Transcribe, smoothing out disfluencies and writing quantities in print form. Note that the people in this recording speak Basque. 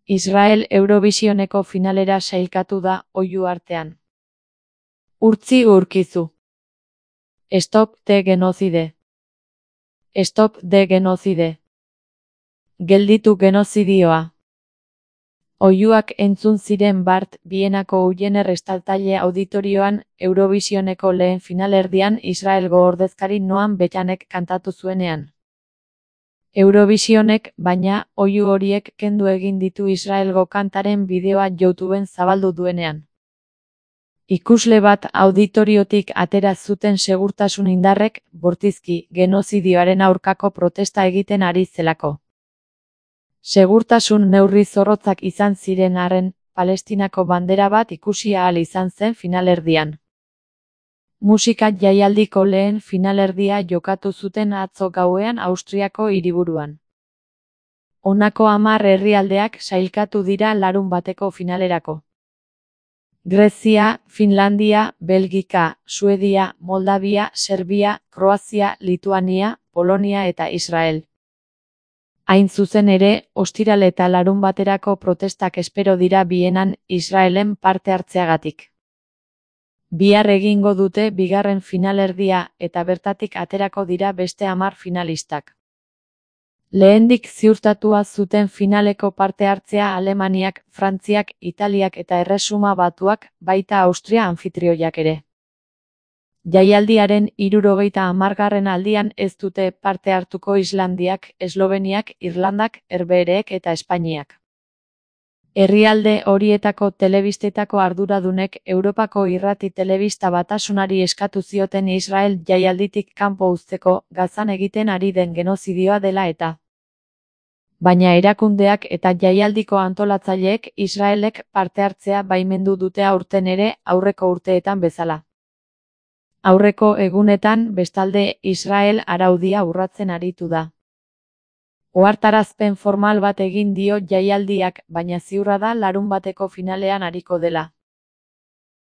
Israel Eurovisioneko finalera sailkatu da oihu artean. Urtzi urkizu. Stop the genocide. Stop the genocide. Gelditu genozidioa. Oihuak entzun ziren bart Bienako Ujener estaltaile auditorioan Eurovisioneko lehen finalerdian Israelgo ordezkari Noam Betanek kantatu zuenean. Eurovisionek, baina, oihu horiek kendu egin ditu Israelgo kantaren bideoa YouTubeen zabaldu duenean. Ikusle bat auditoriotik atera zuten segurtasun indarrek, bortizki, genozidioaren aurkako protesta egiten ari zelako. Segurtasun neurri zorrotzak izan ziren arren, Palestinako bandera bat ikusi ahal izan zen finalerdian. Musika jaialdiko lehen finalerdia jokatu zuten atzo gauean Austriako hiriburuan. Honako 10 herrialdeak sailkatu dira larunbateko finalerako. Grezia, Finlandia, Belgika, Suedia, Moldavia, Serbia, Kroazia, Lituania, Polonia eta Israel. Hain zuzen ere, ostiral eta larunbaterako protestak espero dira Bienan Israelen parte hartzeagatik. Bihar egingo dute bigarren finalerdia eta bertatik aterako dira beste 10 finalistak. Lehendik ziurtatua zuten finaleko parte hartzea Alemaniak, Frantziak, Italiak eta Erresuma Batuak, baita Austria anfitrioiak ere. Jaialdiaren 70. aldian ez dute parte hartuko Islandiak, Esloveniak, Irlandak, Herbehereek eta Espainiak. Herrialde horietako telebistetako arduradunek Europako irrati telebista batasunari eskatu zioten Israel jaialditik kanpo uzteko Gazan egiten ari den genozidioa dela eta. Baina erakundeak eta jaialdiko antolatzaileek Israelek parte hartzea baimendu dute aurten ere aurreko urteetan bezala. Aurreko egunetan, bestalde, Israel araudia urratzen aritu da. Ohartarazpen formal bat egin dio jaialdiak, baina ziurra da larunbateko finalean ariko dela.